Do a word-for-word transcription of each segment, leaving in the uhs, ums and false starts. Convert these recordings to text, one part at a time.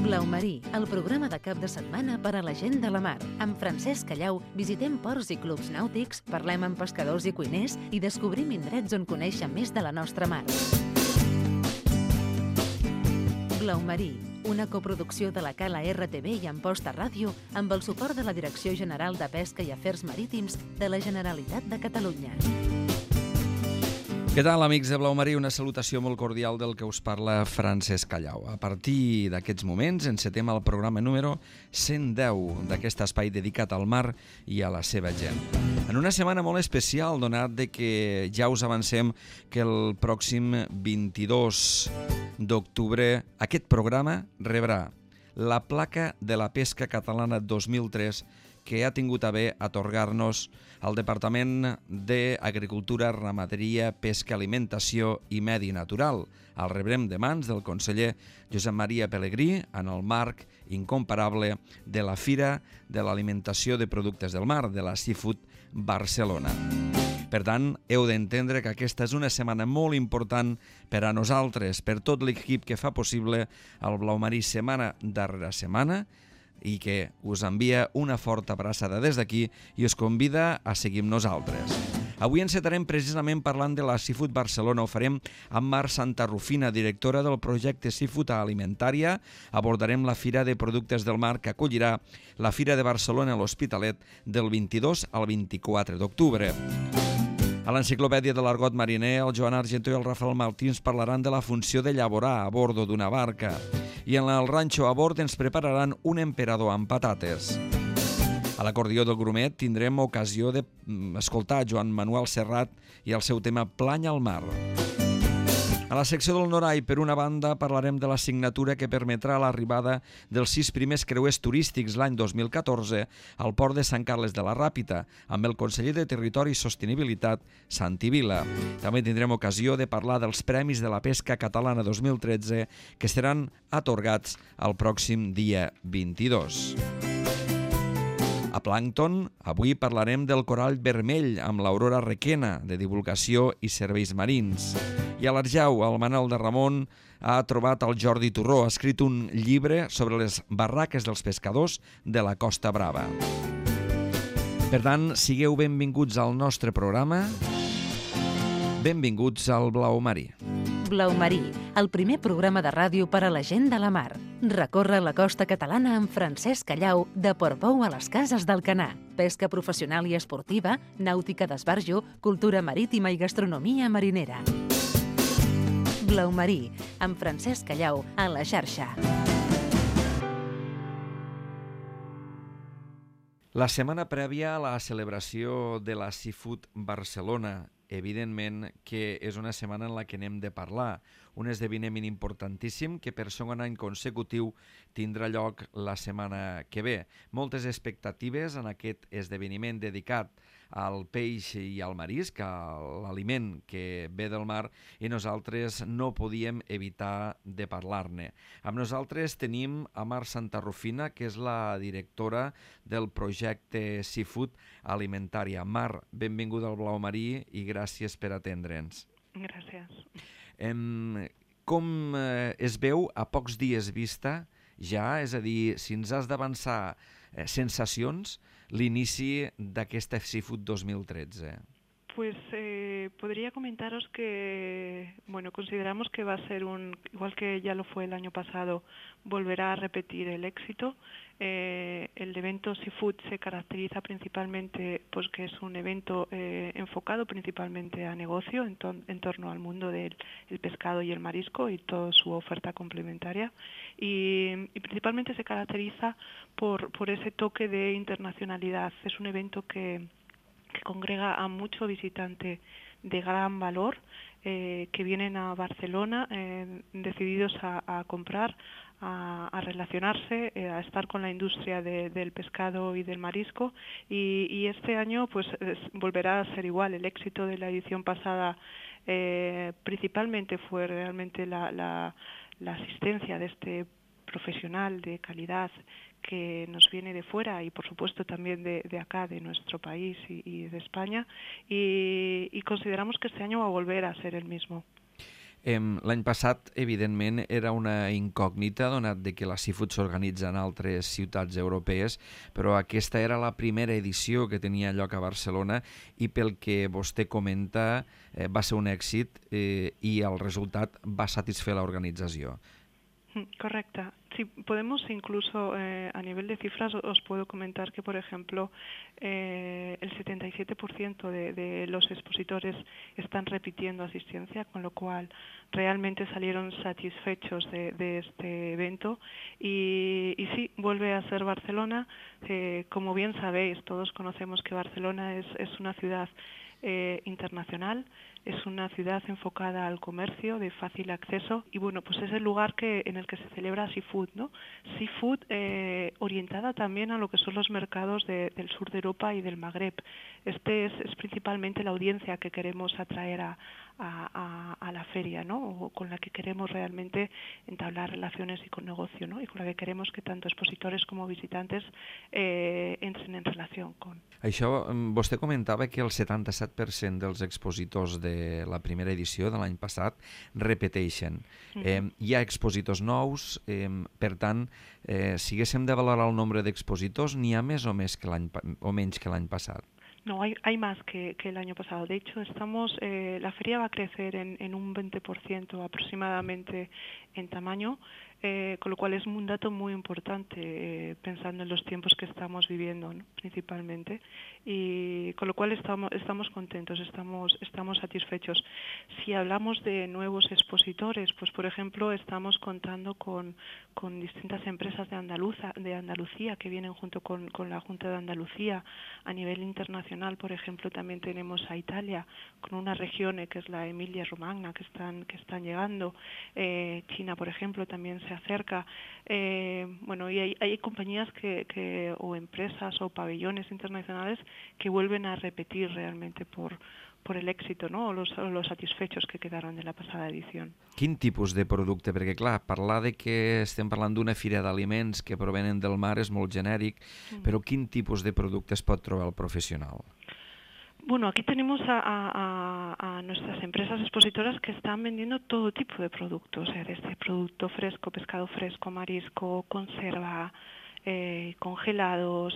Blau Marí, el programa de cap de setmana per a la gent de la mar. Amb Francesc Callau visitem ports i clubs nàutics, parlem amb pescadors i cuiners i descobrim indrets on conèixer més de la nostra mar. Blau Marí, una coproducció de la Cala R T V i Amposta Ràdio amb el suport de la Direcció General de Pesca i Afers Marítims de la Generalitat de Catalunya. Què tal, amics de Blau Marí? Una salutació molt cordial del que us parla Francesc Callau. A partir d'aquests moments encetem el programa número cent deu d'aquest espai dedicat al mar i a la seva gent. En una setmana molt especial, donat de que ja us avancem que el pròxim vint-i-dos d'octubre aquest programa rebrà la placa de la pesca catalana dos mil tres que ha tingut a bé atorgar-nos el Departament d'Agricultura, Ramaderia, Pesca, Alimentació i Medi Natural. El rebrem de mans del conseller Josep Maria Pelegrí en el marc incomparable de la Fira de l'Alimentació de Productes del Mar, de la Seafood Barcelona. Per tant, heu d'entendre que aquesta és una setmana molt important per a nosaltres, per tot l'equip que fa possible el Blau Marí setmana darrere setmana, i que us envia una forta abraçada des d'aquí i us convida a seguir amb nosaltres. Avui encetarem precisament parlant de la Seafood Barcelona. Ho farem amb Mar Santarrufina, directora del projecte Seafood Alimentària. Abordarem la Fira de Productes del Mar que acollirà la Fira de Barcelona a l'Hospitalet del vint-i-dos al vint-i-quatre d'octubre. A l'Enciclopèdia de l'Argot Mariner, el Joan Argentó i el Rafael Martins parlaran de la funció de llaborar a bordo d'una barca. I en el ranxo a bord ens prepararan un emperador amb patates. A l'acordió del Grumet tindrem ocasió d'escoltar Joan Manuel Serrat i el seu tema Plany al mar. A la secció del Norai, per una banda, parlarem de la signatura que permetrà l'arribada dels sis primers creuers turístics l'any dos mil catorze al port de Sant Carles de la Ràpita, amb el conseller de Territori i Sostenibilitat, Santi Vila. També tindrem ocasió de parlar dels Premis de la Pesca Catalana dos mil tretze que seran atorgats el pròxim dia vint-i-dos. A Plàncton, avui parlarem del corall vermell amb l'Aurora Requena, de divulgació i serveis marins. I a l'Arjau, el Manel de Ramon ha trobat el Jordi Turró, ha escrit un llibre sobre les barraques dels pescadors de la Costa Brava. Per tant, sigueu benvinguts al nostre programa. Benvinguts al Blau Marí. Blau Marí, el primer programa de ràdio per a la gent de la mar. Recorre la costa catalana amb Francesc Callau, de Portbou a les Cases d'Alcanar. Pesca professional i esportiva, nàutica d'esbarjo, cultura marítima i gastronomia marinera. Blau Marí, amb Francesc Callau, a la xarxa. La setmana prèvia a la celebració de la Seafood Barcelona, evidentment que és una setmana en la que n'hem de parlar, un esdeveniment importantíssim que per segon any consecutiu tindrà lloc la setmana que ve. Moltes expectatives en aquest esdeveniment dedicat al peix i al marisc, a l'aliment que ve del mar, i nosaltres no podíem evitar de parlar-ne. Amb nosaltres tenim a Mar Santarrufina, que és la directora del projecte Seafood Alimentària. Mar, benvinguda al Blau Marí i gràcies per atendre'ns. Gràcies. Em, com eh, es veu a pocs dies vista ja, és a dir, si ens has d'avançar eh, sensacions, l'inici d'aquesta Seafood dos mil tretze? Pues eh, podría comentaros que, bueno, consideramos que va a ser un, igual que ya lo fue el año pasado, volverá a repetir el éxito. Eh, el evento Seafood se caracteriza principalmente, pues que es un evento eh, enfocado principalmente a negocio, en, to en torno al mundo del el pescado y el marisco y toda su oferta complementaria. Y, y principalmente se caracteriza por, por ese toque de internacionalidad. Es un evento que que congrega a mucho visitante de gran valor eh, que vienen a Barcelona eh, decididos a, a comprar, a, a relacionarse, eh, a estar con la industria de, del pescado y del marisco y, y este año pues es, volverá a ser igual. El éxito de la edición pasada eh, principalmente fue realmente la, la, la asistencia de este profesional de calidad que nos viene de fuera y por supuesto también de, de acá, de nuestro país y, y de España y, y consideramos que este año va a volver a ser el mismo. L'any passat, evidentment, era una incògnita, donat de que la Seafood s'organitza en altres ciutats europees, però aquesta era la primera edició que tenia lloc a Barcelona i pel que vostè comenta eh, va ser un èxit eh, i el resultat va satisfer l'organització. Correcto. Sí, podemos incluso eh, a nivel de cifras os puedo comentar que, por ejemplo, eh, el setenta y siete por ciento de, de los expositores están repitiendo asistencia, con lo cual realmente salieron satisfechos de, de este evento. Y, y sí, vuelve a ser Barcelona. Eh, como bien sabéis, todos conocemos que Barcelona es, es una ciudad eh, internacional. Es una ciudad enfocada al comercio de fácil acceso y bueno, pues es el lugar que en el que se celebra Seafood, ¿no? Seafood eh, orientada también a lo que son los mercados de, del sur de Europa y del Magreb. Este es, es principalmente la audiencia que queremos atraer a, a, a, a la feria, ¿no? O con la que queremos realmente entablar relaciones y con negocio, ¿no? Y con la que queremos que tanto expositores como visitantes eh, entren en relación con. Això, vostè comentava que el setanta-set per cent dels expositors de la primera edició de l'any passat repeteixen. Mm-hmm. Eh, hi ha expositors nous, eh, per tant, eh, si haguéssim de valorar el nombre d'expositors, n'hi ha més o, més que l'any, o menys que l'any passat? No, hay, hay más que, que el año pasado. De hecho, estamos, eh, la feria va a crecer en, en un veinte por ciento aproximadamente en tamaño, eh, con lo cual es un dato muy importante eh, pensando en los tiempos que estamos viviendo, ¿no? Principalmente, y con lo cual estamos, estamos contentos, estamos, estamos satisfechos. Si hablamos de nuevos expositores, pues por ejemplo estamos contando con, con distintas empresas de, Andaluza, de Andalucía que vienen junto con, con la Junta de Andalucía. A nivel internacional, por ejemplo, también tenemos a Italia con una región eh, que es la Emilia-Romagna que están, que están llegando. Eh, China, por ejemplo, también se acerca. Eh, bueno, y hay, hay compañías que, que, o empresas o pabellones internacionales que vuelven a repetir realmente por, por el èxito, no? o, los, o los satisfechos que quedaron de la passada edició. Quin tipus de producte? Perquè, clar, parlar de que estem parlant d'una fira d'aliments que provenen del mar és molt genèric, mm. però quin tipus de producte es pot trobar el professional? Bueno, aquí tenemos a, a, a nuestras empresas expositoras que están vendiendo todo tipo de productos, eh, desde producto fresco, pescado fresco, marisco, conserva, eh, congelados.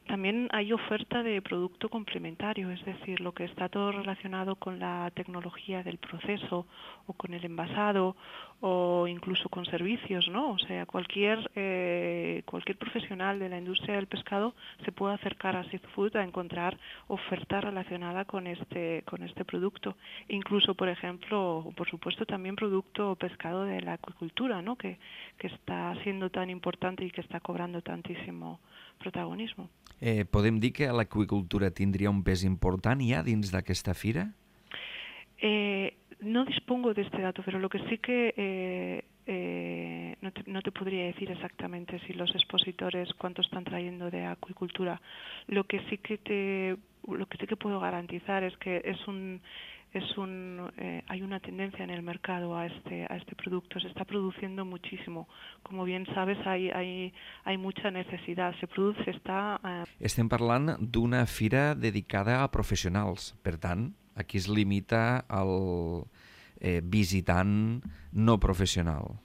También hay oferta de producto complementario, es decir, lo que está todo relacionado con la tecnología del proceso o con el envasado o incluso con servicios, ¿no? O sea, cualquier eh, cualquier profesional de la industria del pescado se puede acercar a Seafood a encontrar oferta relacionada con este con este producto. Incluso, por ejemplo, por supuesto, también producto pescado de la acuicultura, ¿no? Que, que está siendo tan importante y que está cobrando tantísimo protagonismo. Eh, podem dir que l'aqüicultura tindria un pes important ja dins d'aquesta fira? Eh, no dispongo de este dato, pero lo que sí que eh, eh, no, te, no te podría decir exactamente si los expositores cuánto están trayendo de acuicultura. Lo que sí que te, lo que sí que puedo garantizar es que es un Es un, eh, hay una tendencia en el mercado a este, a este producto, se está produciendo muchísimo. Como bien sabes, hay, hay, hay mucha necesidad, se produce, està... Eh... Estem parlant d'una fira dedicada a professionals, per tant, aquí es limita al eh, visitant no professional.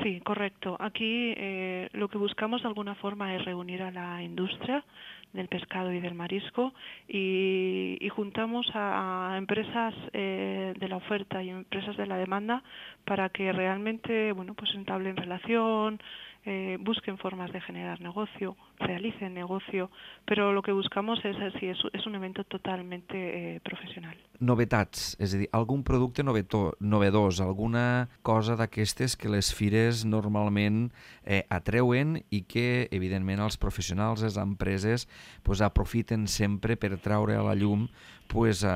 Sí, correcto. Aquí eh, lo que buscamos de alguna forma es reunir a la industria del pescado y del marisco y, y juntamos a, a empresas eh, de la oferta y empresas de la demanda para que realmente, bueno, pues entablen relación, eh, busquen formas de generar negocio, realicen negocio, pero lo que buscamos es, sí, es, es un evento totalmente eh, professional. Novetats, és a dir, algun producte novetó, novedós, alguna cosa d'aquestes que les fires normalment eh, atreuen i que, evidentment, els professionals, les empreses, pues, aprofiten sempre per traure a la llum, pues, eh,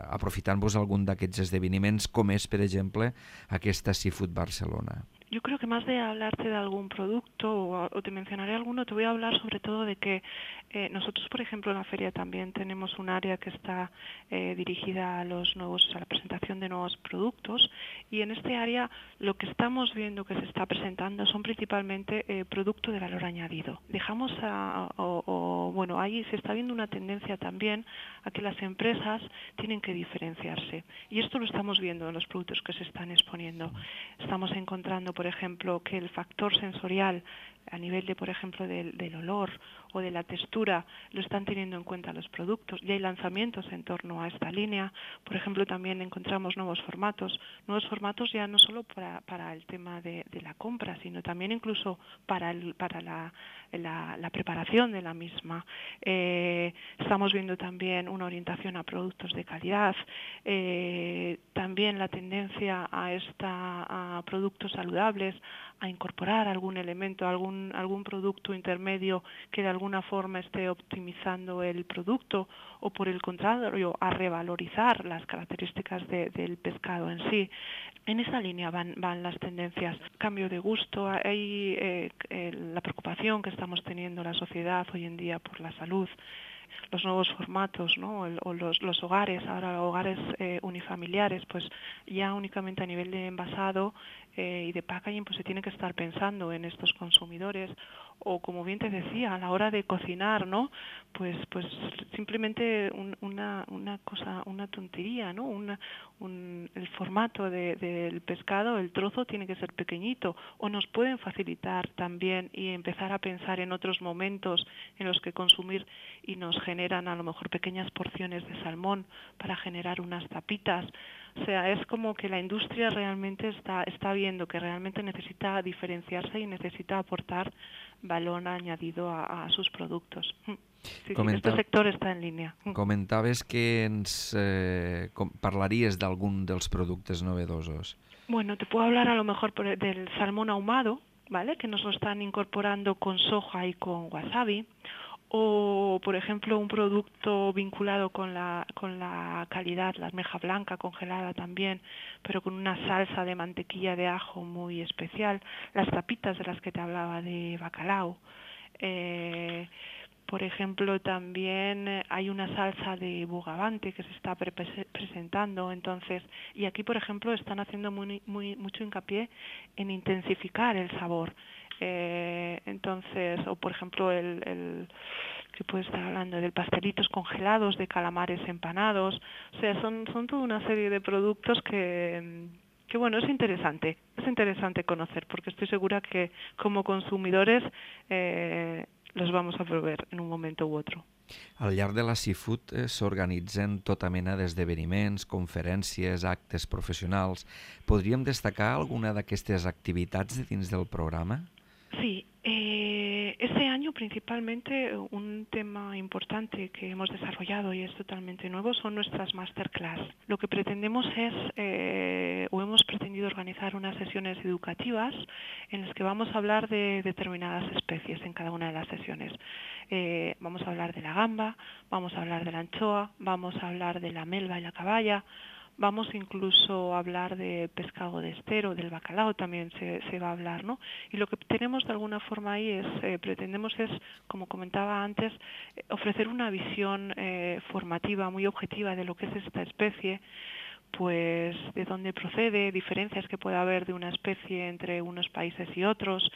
aprofitant-vos algun d'aquests esdeveniments, com és, per exemple, aquesta Seafood Barcelona. Yo creo que más de hablarte de algún producto o, o te mencionaré alguno, te voy a hablar sobre todo de que eh, nosotros, por ejemplo, en la feria también tenemos un área que está eh, dirigida a los nuevos, a la presentación de nuevos productos, y en este área lo que estamos viendo que se está presentando son principalmente eh, producto de valor añadido. Dejamos a, o, o bueno, ahí se está viendo una tendencia también a que las empresas tienen que diferenciarse, y esto lo estamos viendo en los productos que se están exponiendo. Estamos encontrando, por ejemplo, que el factor sensorial a nivel de, por ejemplo, del, del olor o de la textura lo están teniendo en cuenta los productos, y hay lanzamientos en torno a esta línea. Por ejemplo, también encontramos nuevos formatos, nuevos formatos ya no solo para, para el tema de, de la compra, sino también incluso para, el, para la, la, la preparación de la misma. Eh, estamos viendo también una orientación a productos de calidad, eh, también la tendencia a, esta, a productos saludables, a incorporar algún elemento, algún, algún producto intermedio que de alguna forma esté optimizando el producto, o por el contrario, a revalorizar las características de, del pescado en sí. En esa línea van, van las tendencias. Cambio de gusto, hay eh, eh, la preocupación que estamos teniendo la sociedad hoy en día por la salud, los nuevos formatos, ¿no? El, o los, los hogares, ahora hogares eh, unifamiliares, pues ya únicamente a nivel de envasado eh, y de packaging, pues se tiene que estar pensando en estos consumidores. O como bien te decía, a la hora de cocinar, ¿no? Pues, pues simplemente un, una, una cosa, una tontería, ¿no? Una, un, el formato de, del pescado, el trozo tiene que ser pequeñito, o nos pueden facilitar también y empezar a pensar en otros momentos en los que consumir y nos generan a lo mejor pequeñas porciones de salmón para generar unas tapitas. O sea, es como que la industria realmente está, está viendo que realmente necesita diferenciarse y necesita aportar valor añadido a, a sus productos. Sí, Comenta... sí, este sector está en línea. Comentaves que ens eh, com... parlaries d'algun dels productes novedosos. Bueno, te puedo hablar a lo mejor por, del salmón ahumado, ¿vale? Que nos lo están incorporando con soja y con wasabi. O, por ejemplo, un producto vinculado con la, con la calidad, la almeja blanca congelada también, pero con una salsa de mantequilla de ajo muy especial. Las tapitas de las que te hablaba de bacalao. Eh, por ejemplo, también hay una salsa de bogavante que se está pre presentando. Entonces, y aquí, por ejemplo, están haciendo muy, muy, mucho hincapié en intensificar el sabor. Eh, entonces, o por ejemplo, el, el que puede estar hablando del pastelitos congelados, de calamares empanados. O sea, son, son toda una serie de productos que, que, bueno, es interesante, es interesante conocer, porque estoy segura que como consumidores eh, los vamos a proveer en un momento u otro. Al llarg de la Seafood eh, s'organitzen tota mena d'esdeveniments, conferències, actes professionals. Podríem destacar alguna d'aquestes activitats de dins del programa? Sí, eh, este año principalmente un tema importante que hemos desarrollado y es totalmente nuevo son nuestras masterclass. Lo que pretendemos es, eh, o hemos pretendido organizar unas sesiones educativas en las que vamos a hablar de determinadas especies en cada una de las sesiones. Eh, vamos a hablar de la gamba, vamos a hablar de la anchoa, vamos a hablar de la melva y la caballa. Vamos incluso a hablar de pescado de estero, del bacalao también se, se va a hablar, ¿no? Y lo que tenemos de alguna forma ahí es, eh, pretendemos es, como comentaba antes, eh, ofrecer una visión eh, formativa muy objetiva de lo que es esta especie, pues de dónde procede, diferencias que puede haber de una especie entre unos países y otros.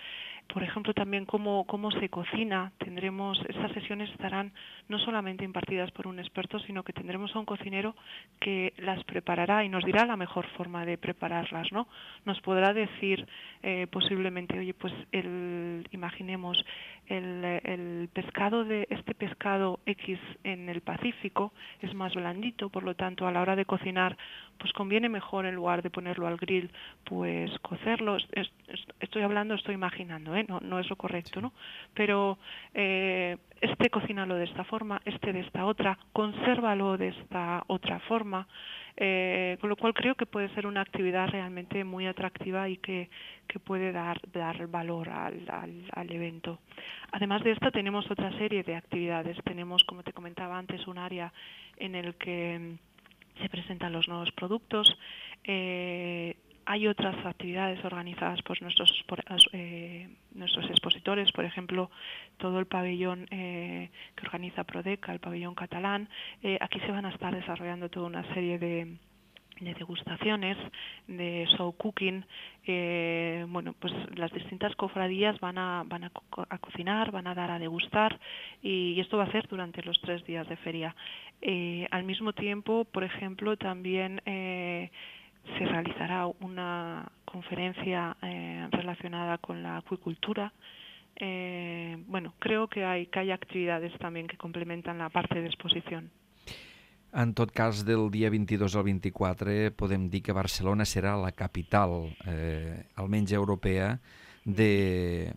Por ejemplo, también cómo, cómo se cocina. Tendremos, estas sesiones estarán no solamente impartidas por un experto, sino que tendremos a un cocinero que las preparará y nos dirá la mejor forma de prepararlas, ¿no? Nos podrá decir eh, posiblemente, oye, pues el, imaginemos, el, el pescado de este pescado X en el Pacífico es más blandito, por lo tanto, a la hora de cocinar, pues conviene mejor en lugar de ponerlo al grill, pues cocerlo. Es, es, estoy hablando, estoy imaginando, ¿eh? no, no es lo correcto, ¿no? Pero eh, este cocínalo de esta forma, este de esta otra, consérvalo de esta otra forma, eh, con lo cual creo que puede ser una actividad realmente muy atractiva y que, que puede dar, dar valor al, al, al evento. Además de esto tenemos otra serie de actividades. Tenemos, como te comentaba antes, un área en el que se presentan los nuevos productos. Eh, hay otras actividades organizadas por nuestros, por, eh, nuestros expositores, por ejemplo, todo el pabellón eh, que organiza Prodeca, el pabellón catalán. Eh, aquí se van a estar desarrollando toda una serie de, de degustaciones, de show cooking. Eh, bueno, pues las distintas cofradías van a, van a, co a cocinar, van a dar a degustar, y, y esto va a ser durante los tres días de feria. Eh, al mismo tiempo, por ejemplo, también eh, se realizará una conferencia eh, relacionada con la acuicultura. Eh, bueno, creo que hay, que hay actividades también que complementan la parte de exposición. En tot cas, del dia vint-i-dos al vint-i-quatre podem dir que Barcelona serà la capital, eh, almenys europea, d'aquest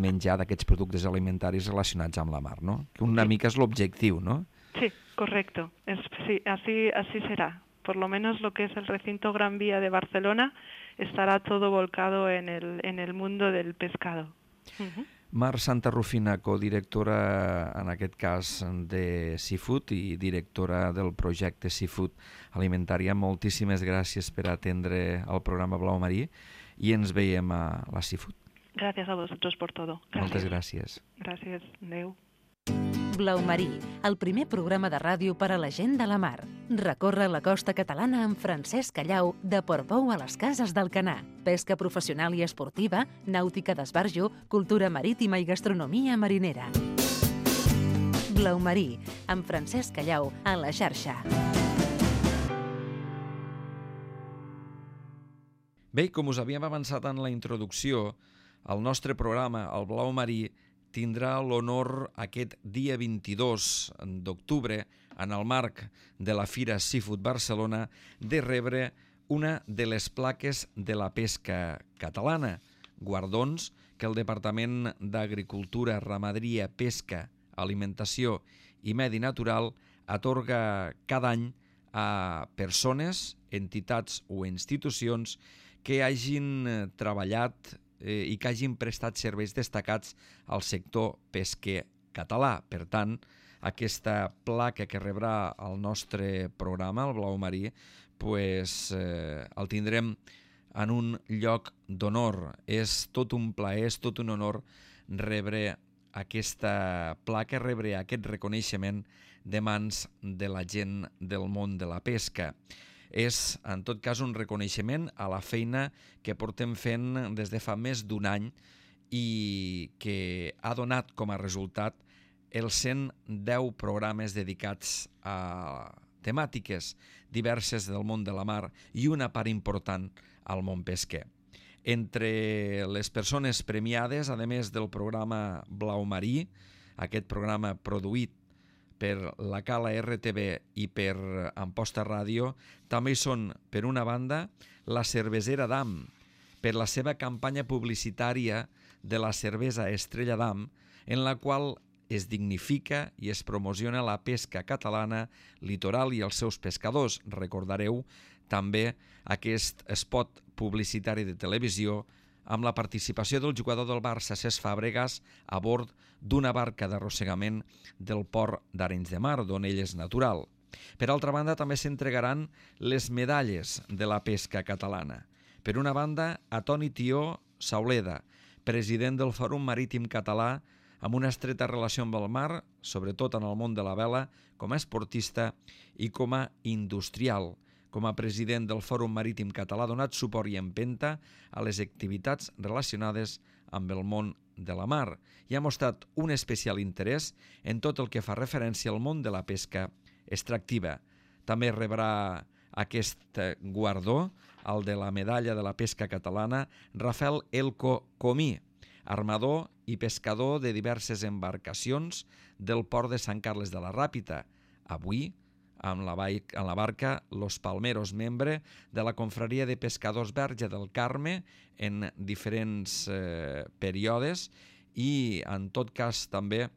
menjar, d'aquests productes alimentaris relacionats amb la mar, no? Que una sí. mica és l'objectiu, no? Sí, correcto. Es, sí, así, así será. Por lo menos lo que es el recinto Gran Vía de Barcelona estará todo volcado en el, en el mundo del pescado. Uh-huh. Mar Santarrufina, codirectora, en aquest cas, de Seafood i directora del projecte Seafood Alimentària, moltíssimes gràcies per atendre el programa Blau Marí i ens veiem a la Seafood. Gracias a vosotros por todo. Gracias. Moltes gràcies. Gràcies. Adéu. Blau Marí, el primer programa de ràdio per a la gent de la mar. Recorre la costa catalana amb Francesc Callau, de Portbou a les Cases d'Alcanar. Pesca professional i esportiva, nàutica d'esbarjo, cultura marítima i gastronomia marinera. Blau Marí, amb Francesc Callau, a la xarxa. Bé, com us havíem avançat en la introducció, el nostre programa, el Blau Marí, tindrà l'honor aquest dia vint-i-dos d'octubre, en el marc de la Fira Seafood Barcelona, de rebre una de les plaques de la pesca catalana, guardons que el Departament d'Agricultura, Ramaderia, Pesca, Alimentació i Medi Natural atorga cada any a persones, entitats o institucions que hagin treballat eh, i que hagin prestat serveis destacats al sector pesquer català. Per tant, aquesta placa que rebrà el nostre programa, el Blau Marí, pues, eh, el tindrem en un lloc d'honor. És tot un plaer, és tot un honor rebre aquesta placa, rebre aquest reconeixement de mans de la gent del món de la pesca. És, en tot cas, un reconeixement a la feina que portem fent des de fa més d'un any i que ha donat com a resultat els cent deu programes dedicats a temàtiques diverses del món de la mar i una part important al món pesquer. Entre les persones premiades, a més del programa Blau Marí, aquest programa produït per la Cala R T V i per Amposta Ràdio, també hi són, per una banda, la Cervesera d'Am, per la seva campanya publicitària de la cervesa Estrella d'Am, en la qual es dignifica i es promociona la pesca catalana, litoral i els seus pescadors. Recordareu també aquest spot publicitari de televisió amb la participació del jugador del Barça, Cesc Fàbregas, a bord d'una barca d'arrossegament del port d'Arenys de Mar, d'on ell és natural. Per altra banda, també s'entregaran les medalles de la pesca catalana. Per una banda, a Toni Tió Sauleda, president del Fòrum Marítim Català, amb una estreta relació amb el mar, sobretot en el món de la vela, com a esportista i com a industrial. Com a president del Fòrum Marítim Català, ha donat suport i empenta a les activitats relacionades amb el món de la mar i ha mostrat un especial interès en tot el que fa referència al món de la pesca extractiva. També rebrà aquest guardó, el de la medalla de la pesca catalana, Rafael Elko Comí, armador i pescador de diverses embarcacions del port de Sant Carles de la Ràpita. Avui, amb la, en la barca Los Palmeros, membre de la Confraria de Pescadors Verge del Carme en diferents eh, períodes i, en tot cas, també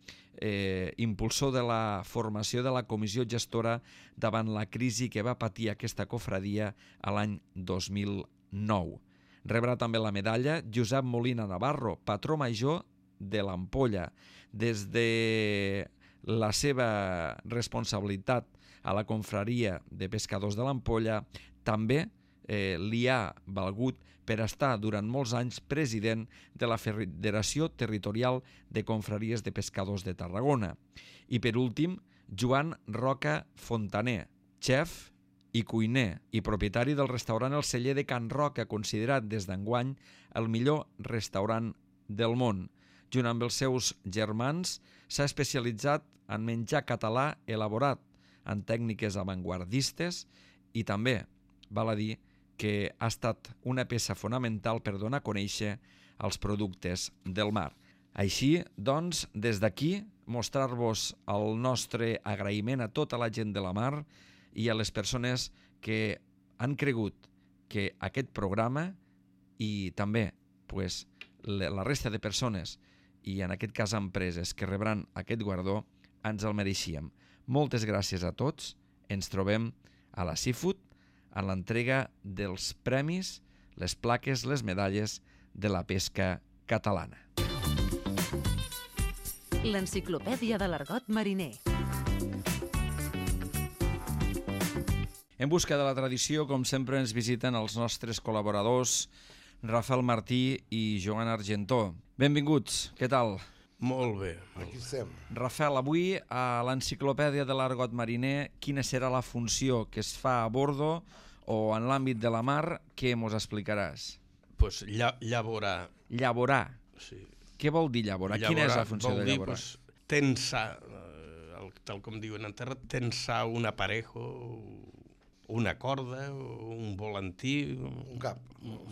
eh, impulsor de la formació de la comissió gestora davant la crisi que va patir aquesta cofradia a l'any dos mil nou. Rebrà també la medalla Josep Molina Navarro, patró major de l'Ampolla. Des de la seva responsabilitat a la confraria de pescadors de l'Ampolla, també eh, li ha valgut per estar durant molts anys president de la Federació Territorial de Confraries de Pescadors de Tarragona. I per últim, Joan Roca Fontaner, xef i cuiner i propietari del restaurant El Celler de Can Roca, considerat des d'enguany el millor restaurant del món. Junt amb els seus germans, s'ha especialitzat en menjar català elaborat en tècniques avantguardistes i també, val a dir, que ha estat una peça fonamental per donar a conèixer els productes del mar. Així, doncs, des d'aquí, mostrar-vos el nostre agraïment a tota la gent de la mar i a les persones que han cregut que aquest programa i també pues, la resta de persones i en aquest cas empreses que rebran aquest guardó ens el mereixíem. Moltes gràcies a tots. Ens trobem a la Seafood en l'entrega dels premis, les plaques, les medalles de la pesca catalana. L'enciclopèdia de l'argot mariner. En busca de la tradició, com sempre, ens visiten els nostres col·laboradors Rafael Martí i Joan Argentó. Benvinguts, què tal? Molt bé. Aquí estem. Rafael, avui a l'enciclopèdia de l'argot mariner, quina serà la funció que es fa a bordo o en l'àmbit de la mar? Què mos explicaràs? Pues lla llaborar. Llaborar. Sí. Què vol dir llaborar? llaborar Quina és la funció de dir, llaborar? Pues, tensar, eh, tal com diuen en terra, tensar un aparejo, una corda, un volantí, un cap,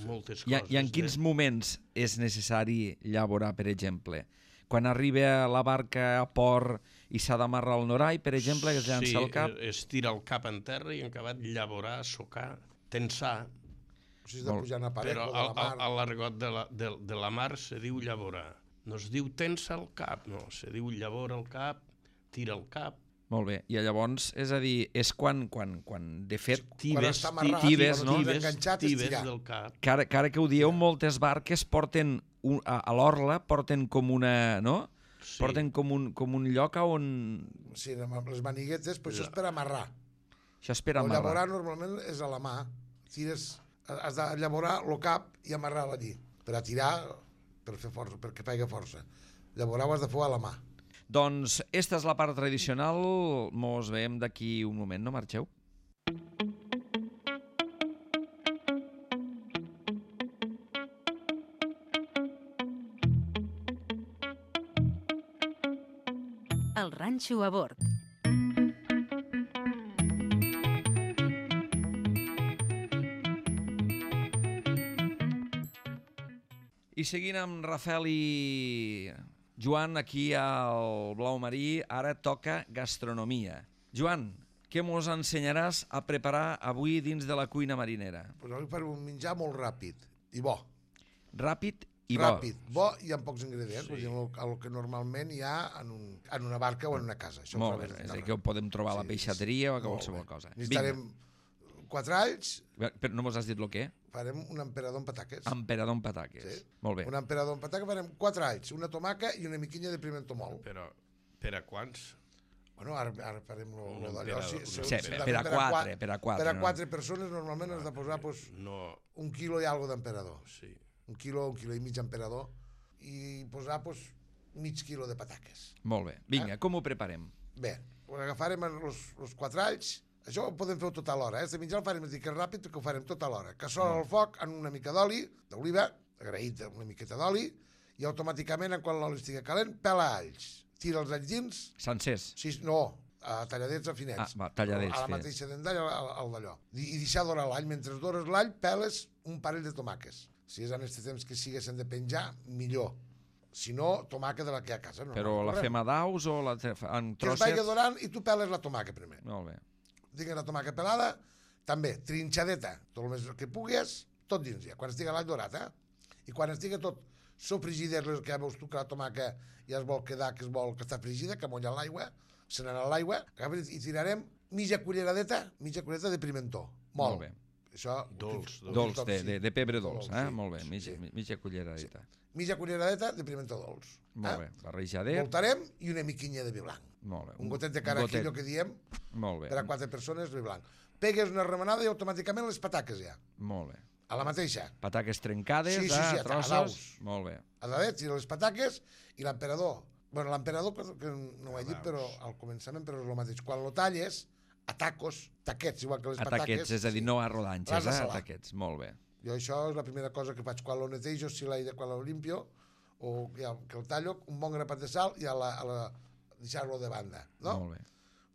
moltes I, coses. I en quins moments és necessari llaborar, per exemple? Quan arriba la barca a port i s'ha d'amarrar el norall, per exemple, que es llança sí, el cap? Sí, es tira el cap en terra i en acabat llaborar, socar, tensar. O sigui, de pujar en aparejo Però de la mar. a l'argot de, la, de, de la mar se diu llaborar. No es diu tensa el cap, no. Se diu llavora el cap, tira el cap. Molt bé. I llavors, és a dir, és quan, quan, quan de fet, Tibes, està amarrat, tibes, no? Tibes, enganxat, és tibes tirar. del cap. que ara, que ara que ho dieu, moltes barques porten, un, a, a l'orla, porten com una, no? Sí. Porten com un, com un lloc on... Sí, amb les maniguetes, però això és per amarrar. Això és per El llaborar amarrar. normalment és a la mà. Tires, has de llaborar el cap i amarrar-lo allí. Per a tirar, per fer força, perquè faci força. Llaborar ho has de fer a la mà. Doncs esta és la part tradicional. Mos veiem d'aquí un moment, no marxeu? El ranxo a bord. I seguint amb Rafael i Joan aquí al Blau Marí, ara toca gastronomia. Joan, què mos ensenyaràs a preparar avui dins de la cuina marinera? Pues avui farem un menjar molt ràpid i bo. Ràpid i bo. Ràpid, bo i amb pocs ingredients, sí. El, el que normalment hi ha en, un, en una barca o en una casa. Això Molt bé, és a dir, que ho podem trobar a la peixateria o a qualsevol cosa. Necessitarem quatre alls. Però no mos has dit el què? Farem un emperador amb pataques. Emperador amb pataques. Sí. Molt bé. Un emperador amb pataques, farem quatre alls, una tomaca i una miquinya de pimentó mòlt. Però per a quants? Bueno, ara, ara farem lo, Un lo d'allò. emperador. Sí, Sí, per, per a quatre, per a quatre. Per a no? quatre persones normalment has de posar pues, No, un quilo i algo d'emperador. sí. Un quilo, un quilo i mig d'emperador i posar pues, mig quilo de pataques. Molt bé. Vinga, com ho preparem? Bé, agafarem els quatre alls. Això ho podem fer tot a l'hora, eh? Si menjar el farem que és ràpid, que ho farem tot a l'hora. Cassola al foc amb una mica d'oli, d'oliva, agraït una miqueta d'oli, i automàticament, quan l'oli estigui calent, pela alls. Tira els alls dins. Sencers? Sí, no, a talladets a finets. Ah, va, talladets, a la finets. mateixa dendall, al, al d'allò. I, I deixar dorar l'all. Mentre dores l'all, peles un parell de tomàques. Si és en aquest temps que siguessin de penjar, millor. Si no, tomàquet de la que hi ha a casa. No, Però no, la fem a daus o la te- en que es vagi trossets? dorant i tu peles la tomàquet primer. Molt bé. Tingues la tomàquet pelada, també trinxadeta, tot el més que pugues, tot dins ja, quan estigui l'all dorat, eh? I quan estigui tot sofregida, que ja veus tu que la tomàquet ja es vol quedar, que es vol que està fregida, que molla l'aigua, se n'anà l'aigua, i tirarem mitja culleradeta, mitja culleradeta de pimentó, molt. Molt bé. Això, Dolç, un Dolç, toc, de, sí. de, de pebre dolç, eh? sí, Molt bé, sí, mitja, sí. mitja culleradeta. Mitja culleradeta de pimentó dolç. Molt eh? bé, barrejadet. Voltarem i una miquinya de vi blanc. Molt bé. Un gotet de carajillo gotet. que diem, Molt bé. per a quatre persones, vi blanc. pegues una remenada i automàticament les pataques ja. Molt bé. A la mateixa. Pataques trencades, Sí, sí, sí, a a trossos. daus. Molt bé. A dalt, tira les pataques i l'emperador. Bueno, l'emperador, que no ho he dit, però al començament, però és el mateix. Quan lo talles, a tacos, taquets, igual que les A pataques. taquets, és a dir, no a rodanxes, l'has de eh? A salar. taquets. Molt bé. Jo això és la primera cosa que faig quan lo netejo, si l'aire, quan lo limpio, o ja, que el tallo, un bon grapat de sal i a la, a la, deixar-lo de banda, no? Molt bé.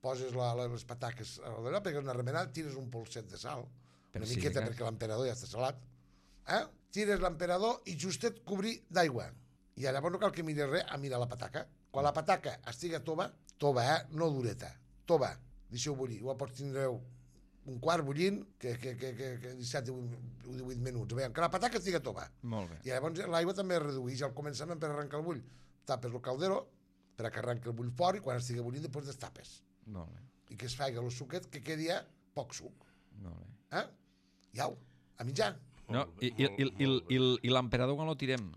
Poses la, la, les pataques a darrere, pegues una remenada, tires un polset de sal, Per una si miqueta de cas. perquè l'emperador ja està salat, eh? Tires l'emperador i justet cobrir d'aigua. I llavors no cal que miris res a mirar la pataca. Quan la pataca estiga tova, tova, eh? No dureta, tova, deixeu bullir. Ho pots tindre un quart bullint, que, que, que, que, que disset o divuit minuts. Veiem que la pataca estiga tova. Molt bé. I llavors l'aigua també es redueix al començament per arrencar el bull. Tapes el caldero per a que arrenqui el bull fort i quan estigui bullint després destapes. Molt bé. I que es faci el suquet, que quedi ja poc suc. Molt bé. Eh? I au, a mitjà. No, Molt bé, i, i, molt- i, i, molt bé. i, i l'emperador quan lo tirem?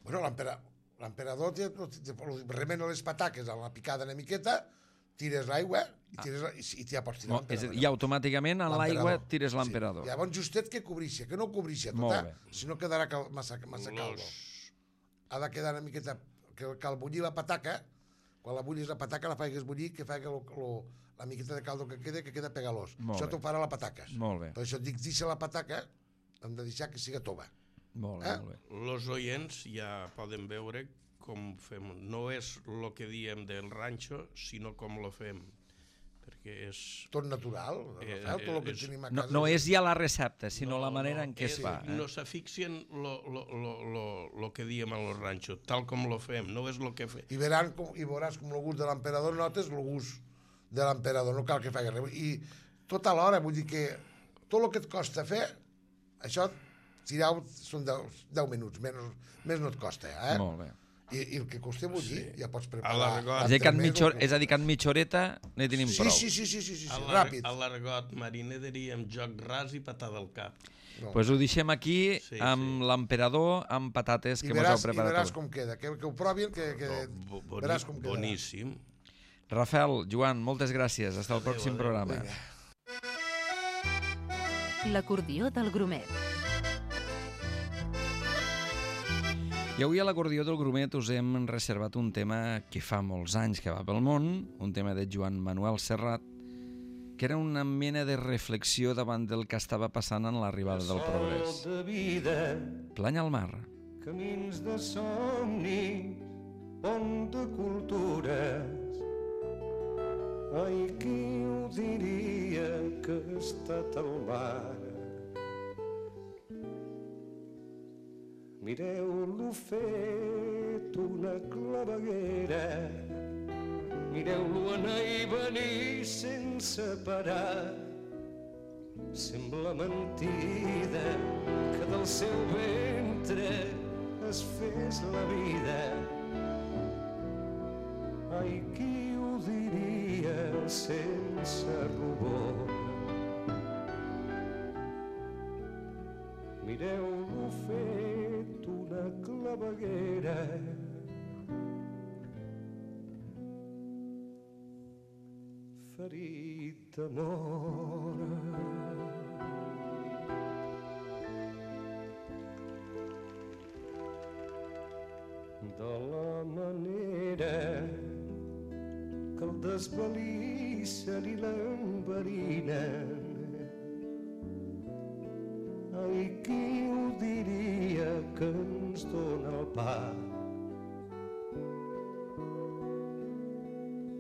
Bueno, l'empera- l'emperador té- té- remena les pataques a la picada una miqueta, tires l'aigua i, tires, la- i, i ja pots tirar Mo- és a l'emperador. dir, I automàticament en l'aigua L'emperador. tires l'emperador. Sí. Llavors justet que cobrixa, que no cobrixa tot, Molt eh? bé. Si no quedarà cal, massa, massa caldo. Ha de quedar una miqueta, que, que al bullir la pataca, quan la bullis la pataca la faigues bullir, que faig lo, lo, la miqueta de caldo que queda, que queda pegalós. Molt Això bé. t'ho farà la pataca. Molt bé. Per això et dic, deixa la pataca, hem de deixar que siga tova. Molt bé, Eh? molt bé. Los oients ja poden veure com fem. No és el que diem del ranxo, sinó com lo fem. Perquè és... Tot natural, Eh, Rafael, tot el que és- tenim a No, casa. no és ja la recepta, sinó No, la manera no, en què es és- fa. Eh? No s'afixien lo, lo, lo, lo, lo que diem a los ranxos, tal com lo fem, no és lo que fem. I, veran com, i veuràs com el gust de l'emperador, notes el gust de l'emperador, no cal que faci res. I tot a l'hora, vull dir que tot el que et costa fer, això, tirar són deu minuts, menys, més no et costa, eh? Molt bé. I, i el que costa bullir, sí. ja pots A preparar. l'argot. És a dir, que en l'entremès, mitja, el- és a dir, que en mitja horeta ne tenim Sí, prou. sí, sí, sí, sí, sí, A sí, l'ar- ràpid. a l'argot mariner diríem joc ras i patada al cap. No. Pues ho deixem aquí Sí, amb sí. l'emperador amb patates I que mos veràs, heu i preparat. veràs avui. com queda, que, que ho provin, que, que Bo- boni- veràs com quedarà. boníssim. Rafael, Joan, moltes gràcies. Hasta el pròxim adéu. programa. Vinga. L'acordió del grumet. I avui a l'acordió del grumet us hem reservat un tema que fa molts anys que va pel món, un tema de Joan Manuel Serrat, que era una mena de reflexió davant del que estava passant en l'arribada del progrés. de vida, Plany al mar. camins de somni, pont de cultures. Ai, qui ho diria que ha estat al mar? Mireu-lo fet una claveguera, mireu-lo anar i venir sense parar. Sembla mentida que del seu ventre es fes la vida. Ai, qui ho diria sense rubor? Mireu-lo fet una claveguera, ferit d'amor. De la manera que el desvalissen i l'enverinen. Ai, qui ho diria que ens dóna el pa?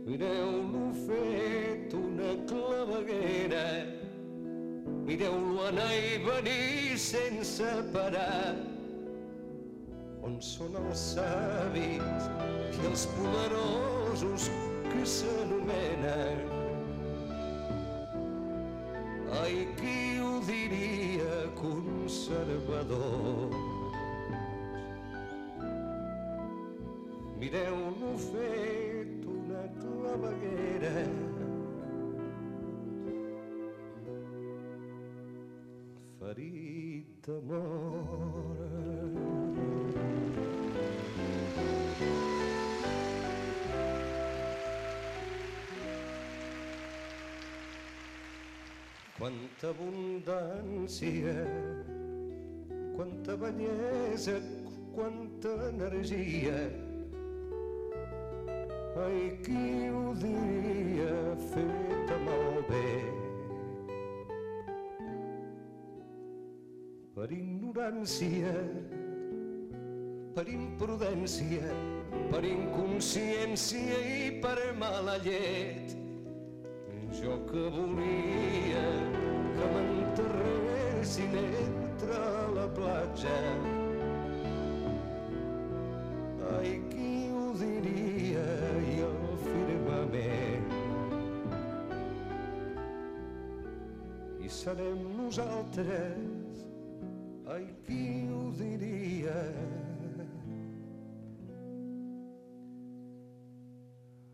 Mireu-lo fet una claveguera, mireu-lo anar i venir sense parar. On són els savis i els poderosos que s'anomenen? Ai, qui ho diria conservadors? Mireu-lo fet una claveguera, ferit d'amor. quanta abundància, quanta bellesa, quanta energia. Ai, qui ho diria, feta malbé. Per ignorància, per imprudència, per inconsciència i per mala llet. Jo que volia que m'enterressin entre la platja. Ai, qui ho diria, i el firmament. I serem nosaltres, ai, qui ho diria,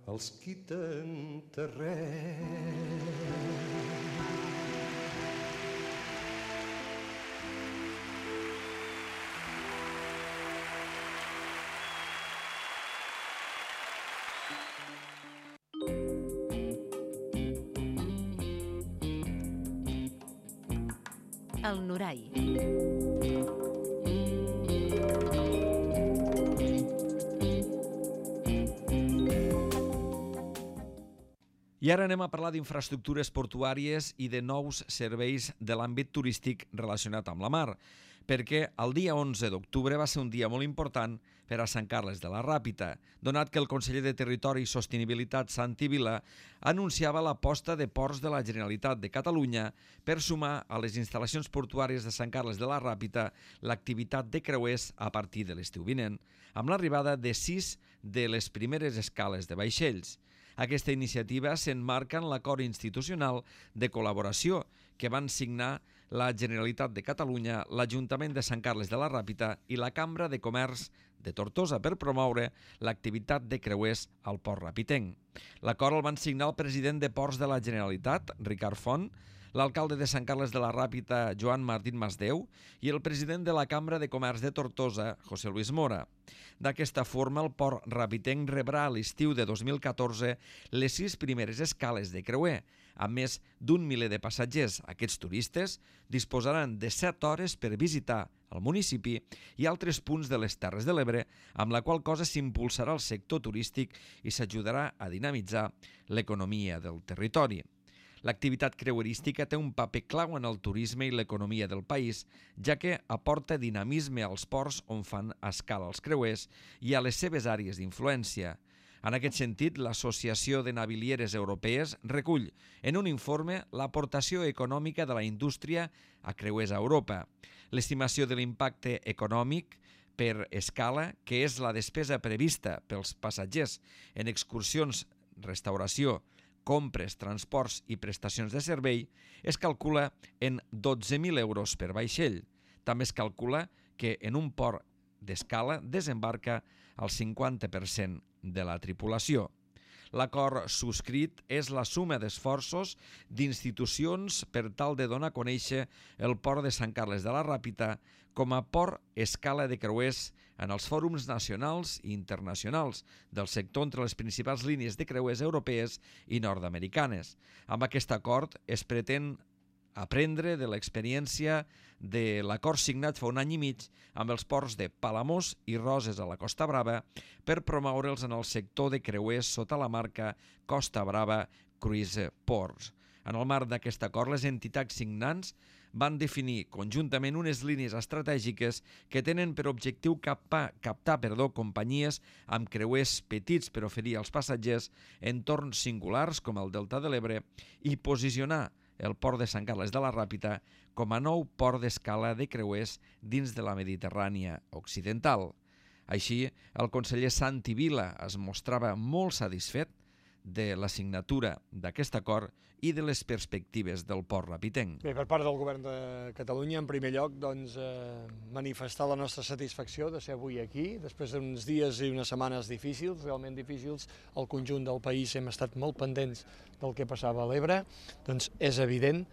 els qui t'enterrem. El Norai. I ara anem a parlar d'infraestructures portuàries i de nous serveis de l'àmbit turístic relacionat amb la mar, perquè el dia onze d'octubre va ser un dia molt important per a Sant Carles de la Ràpita, donat que el conseller de Territori i Sostenibilitat, Santi Vila, anunciava l'aposta de Ports de la Generalitat de Catalunya per sumar a les instal·lacions portuàries de Sant Carles de la Ràpita l'activitat de creuers a partir de l'estiu vinent, amb l'arribada de sis de les primeres escales de vaixells. Aquesta iniciativa s'emmarca en l'acord institucional de col·laboració que van signar la Generalitat de Catalunya, l'Ajuntament de Sant Carles de la Ràpita i la Cambra de Comerç de Tortosa per promoure l'activitat de creuers al Port Rapitenc. L'acord el van signar el president de Ports de la Generalitat, Ricard Font, l'alcalde de Sant Carles de la Ràpita, Joan Martín Masdeu, i el president de la Cambra de Comerç de Tortosa, José Luis Mora. D'aquesta forma, el Port Rapitenc rebrà a l'estiu de dos mil catorze les sis primeres escales de creuer, amb més d'un miler de passatgers. Aquests turistes disposaran de set hores per visitar el municipi i altres punts de les Terres de l'Ebre, amb la qual cosa s'impulsarà el sector turístic i s'ajudarà a dinamitzar l'economia del territori. L'activitat creuerística té un paper clau en el turisme i l'economia del país, ja que aporta dinamisme als ports on fan escala els creuers i a les seves àrees d'influència. En aquest sentit, l'Associació de Navilieres Europees recull en un informe l'aportació econòmica de la indústria a creuers a Europa. L'estimació de l'impacte econòmic per escala, que és la despesa prevista pels passatgers en excursions, restauració, compres, transports i prestacions de servei, es calcula en dotze mil euros per vaixell. També es calcula que en un port d'escala desembarca el cinquanta per cent de la tripulació. L'acord subscrit és la suma d'esforços d'institucions per tal de donar a conèixer el port de Sant Carles de la Ràpita com a port escala de creuers en els fòrums nacionals i internacionals del sector entre les principals línies de creuers europees i nord-americanes. Amb aquest acord es pretén aprendre de l'experiència de l'acord signat fa un any i mig amb els ports de Palamós i Roses a la Costa Brava per promoure'ls en el sector de creuers sota la marca Costa Brava Cruise Ports. En el marc d'aquest acord, les entitats signants van definir conjuntament unes línies estratègiques que tenen per objectiu captar, captar perdó, companyies amb creuers petits per oferir als passatgers entorns singulars com el Delta de l'Ebre i posicionar el port de Sant Carles de la Ràpita com a nou port d'escala de creuers dins de la Mediterrània occidental. Així, el conseller Santi Vila es mostrava molt satisfet de la signatura d'aquest acord i de les perspectives del port rapitenc. Bé, per part del Govern de Catalunya, en primer lloc, doncs, eh, manifestar la nostra satisfacció de ser avui aquí, després d'uns dies i unes setmanes difícils, realment difícils. El conjunt del país hem estat molt pendents del que passava a l'Ebre, doncs és evident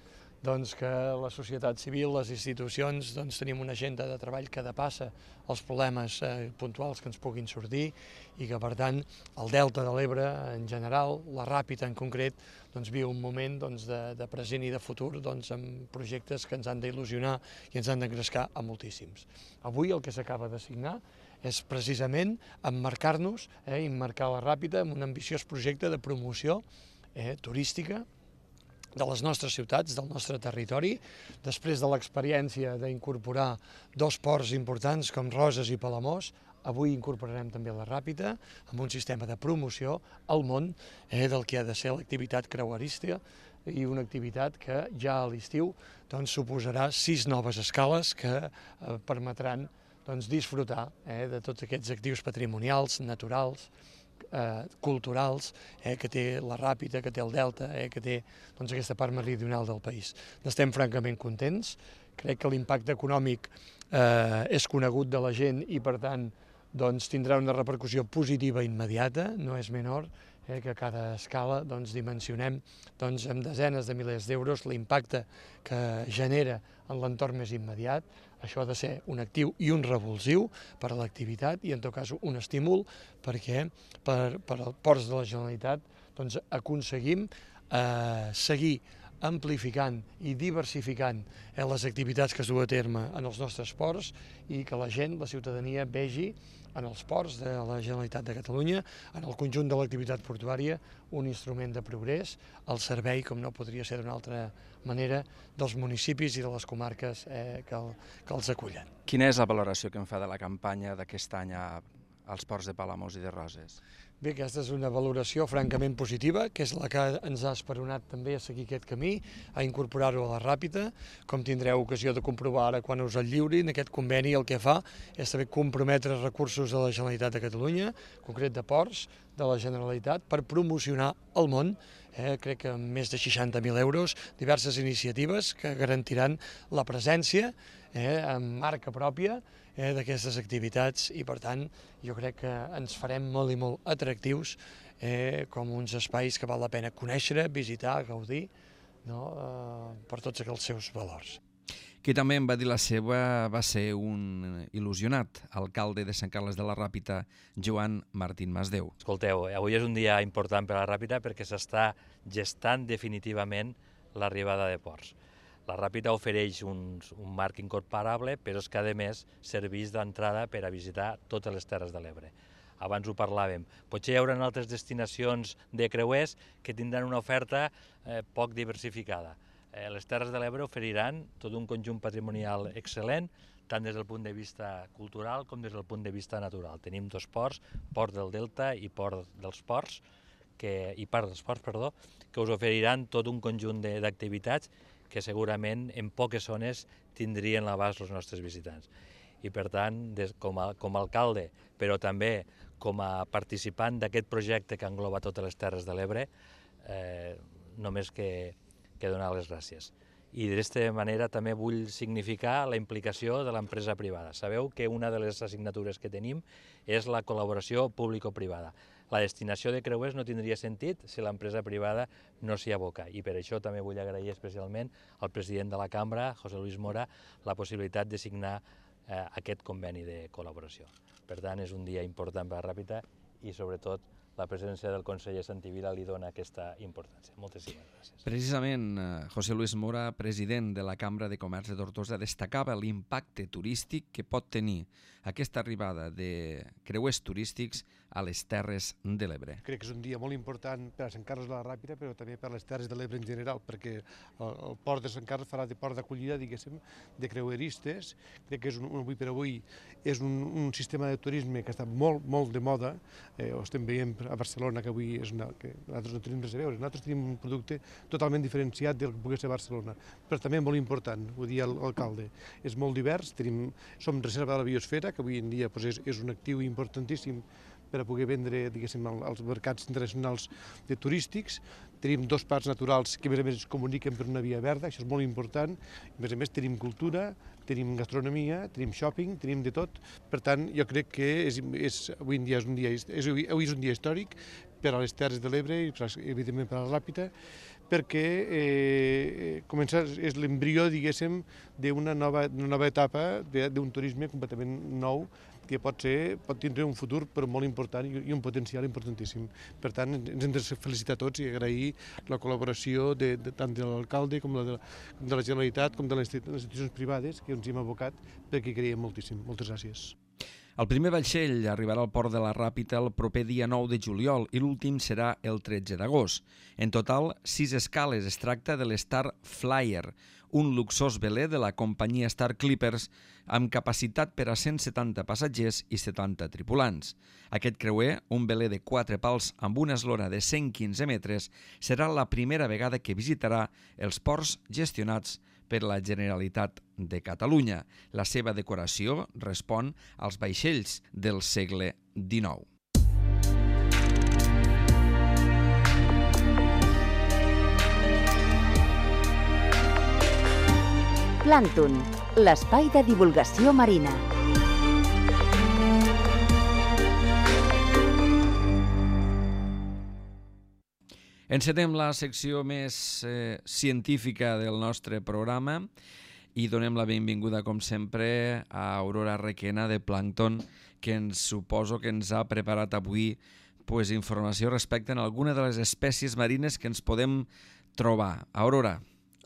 doncs, que la societat civil, les institucions, doncs, tenim una agenda de treball que depassa els problemes eh, puntuals que ens puguin sortir i que, per tant, el Delta de l'Ebre en general, la Ràpita en concret, doncs, viu un moment doncs, de, de present i de futur doncs, amb projectes que ens han d'il·lusionar i ens han d'engrescar a moltíssims. Avui el que s'acaba de signar és precisament emmarcar-nos, eh, emmarcar la Ràpita en un ambiciós projecte de promoció eh, turística de les nostres ciutats, del nostre territori, després de l'experiència d'incorporar dos ports importants com Roses i Palamós, avui incorporarem també la Ràpita amb un sistema de promoció al món eh, del que ha de ser l'activitat creuerística i una activitat que ja a l'estiu doncs, suposarà sis noves escales que eh, permetran doncs, disfrutar eh, de tots aquests actius patrimonials, naturals, Eh, culturals eh, que té la Ràpita, que té el Delta, eh, que té doncs, aquesta part meridional del país. N'estem francament contents, crec que l'impacte econòmic eh, és conegut de la gent i per tant doncs, tindrà una repercussió positiva immediata, no és menor, eh, que a cada escala doncs, dimensionem doncs, amb desenes de milers d'euros l'impacte que genera en l'entorn més immediat. Això ha de ser un actiu i un revulsiu per a l'activitat i, en tot cas, un estímul perquè per, per als ports de la Generalitat doncs, aconseguim eh, seguir amplificant i diversificant eh, les activitats que es duen a terme en els nostres ports i que la gent, la ciutadania, vegi en els ports de la Generalitat de Catalunya, en el conjunt de l'activitat portuària, un instrument de progrés, al servei, com no podria ser d'una altra manera, dels municipis i de les comarques eh, que, el, que els acullen. Quina és la valoració que en fa de la campanya d'aquest any a, als ports de Palamós i de Roses? Bé, aquesta és una valoració francament positiva, que és la que ens ha esperonat també a seguir aquest camí, a incorporar-ho a la Ràpita. Com tindreu ocasió de comprovar ara quan us el lliurin, aquest conveni el que fa és també comprometre recursos de la Generalitat de Catalunya, en concret de ports de la Generalitat, per promocionar al món, eh, crec que amb més de seixanta mil euros, diverses iniciatives que garantiran la presència eh, amb marca pròpia eh, d'aquestes activitats i, per tant, jo crec que ens farem molt i molt atractius eh, com uns espais que val la pena conèixer, visitar, gaudir, no? eh, per tots els seus valors. Qui també em va dir la seva va ser un il·lusionat, alcalde de Sant Carles de la Ràpita, Joan Martín Masdeu. Escolteu, avui és un dia important per a la Ràpita perquè s'està gestant definitivament l'arribada de ports. La Ràpita ofereix un, un marc incorporable, però és que, a més, serveix d'entrada per a visitar totes les Terres de l'Ebre. Abans ho parlàvem. Potser hi haurà altres destinacions de creuers que tindran una oferta eh, poc diversificada. Eh, les Terres de l'Ebre oferiran tot un conjunt patrimonial excel·lent, tant des del punt de vista cultural com des del punt de vista natural. Tenim dos ports, Port del Delta i Port dels Ports, que, i Part dels Ports, perdó, que us oferiran tot un conjunt d'activitats que segurament en poques zones tindrien l'abast els nostres visitants. I per tant, des, com, a, com a alcalde, però també com a participant d'aquest projecte que engloba totes les Terres de l'Ebre, eh, només que, que donar les gràcies. I d'aquesta manera també vull significar la implicació de l'empresa privada. Sabeu que una de les assignatures que tenim és la col·laboració público-privada. La destinació de creuers no tindria sentit si l'empresa privada no s'hi aboca i per això també vull agrair especialment al president de la Cambra, José Luis Mora, la possibilitat de signar eh, aquest conveni de col·laboració. Per tant, és un dia important per a Ràpita i sobretot la presència del conseller Santivila li dona aquesta importància. Moltíssimes gràcies. Precisament, José Luis Mora, president de la Cambra de Comerç de Tortosa, destacava l'impacte turístic que pot tenir aquesta arribada de creuers turístics a les Terres de l'Ebre. Crec que és un dia molt important per a Sant Carles de la Ràpita, però també per a les Terres de l'Ebre en general, perquè el, el port de Sant Carles farà de port d'acollida, diguéssim, de creueristes. Crec que és un, avui per avui és un, un sistema de turisme que està molt, molt de moda. Eh, ho estem veient a Barcelona, que avui és una, que nosaltres no tenim res a veure. Nosaltres tenim un producte totalment diferenciat del que pugui ser Barcelona, però també molt important, ho dia l'alcalde. És molt divers, tenim, som reserva de la biosfera, que avui en dia doncs, és, és un actiu importantíssim per a poder vendre, diguéssim, als mercats internacionals de turístics. Tenim dos parcs naturals que, a més a més, es comuniquen per una via verda, això és molt important. A més a més, tenim cultura, tenim gastronomia, tenim shopping, tenim de tot. Per tant, jo crec que és, és, avui en dia és un dia, és, avui és un dia històric per a les Terres de l'Ebre i, evidentment, per a la Ràpita, perquè eh, comença, és l'embrió, diguéssim, d'una nova, nova etapa d'un turisme completament nou que pot ser, pot tindre un futur però molt important i un potencial importantíssim. Per tant, ens hem de felicitar tots i agrair la col·laboració de, de, tant de l'alcalde com la de, de la Generalitat com de les institucions privades que ens hi hem abocat perquè creiem moltíssim. Moltes gràcies. El primer vaixell arribarà al port de la Ràpita el proper dia nou de juliol i l'últim serà el tretze d'agost. En total, sis escales. Es tracta de l'Star Flyer, un luxós veler de la companyia Star Clippers amb capacitat per a cent setanta passatgers i setanta tripulants. Aquest creuer, un veler de quatre pals amb una eslora de cent quinze metres, serà la primera vegada que visitarà els ports gestionats per la Generalitat de Catalunya. La seva decoració respon als vaixells del segle dinou. Plàncton, l'espai de divulgació marina. Encetem la secció més eh, científica del nostre programa i donem la benvinguda, com sempre, a Aurora Requena de Plàncton, que ens suposo que ens ha preparat avui pues, informació respecte a alguna de les espècies marines que ens podem trobar. Aurora,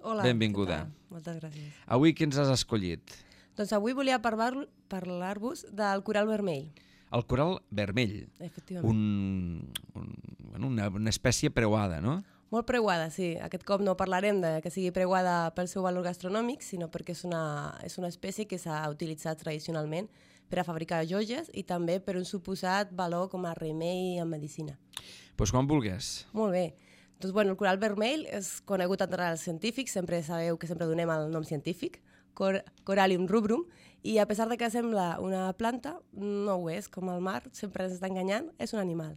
hola, benvinguda. Moltes gràcies. Avui què ens has escollit? Doncs avui volia parlar-vos parlar del coral vermell. El coral vermell. Efectivament. Un, un, una, una espècie preuada, no? Molt preuada, sí. Aquest cop no parlarem de que sigui preuada pel seu valor gastronòmic, sinó perquè és una, és una espècie que s'ha utilitzat tradicionalment per a fabricar joies i també per un suposat valor com a remei en medicina. Doncs pues quan vulguis. Molt bé. Doncs, bueno, el coral vermell és conegut entre els científics, sempre sabeu que sempre donem el nom científic, Cor Corallium rubrum, i a pesar de que sembla una planta, no ho és, com el mar, sempre ens està enganyant, és un animal.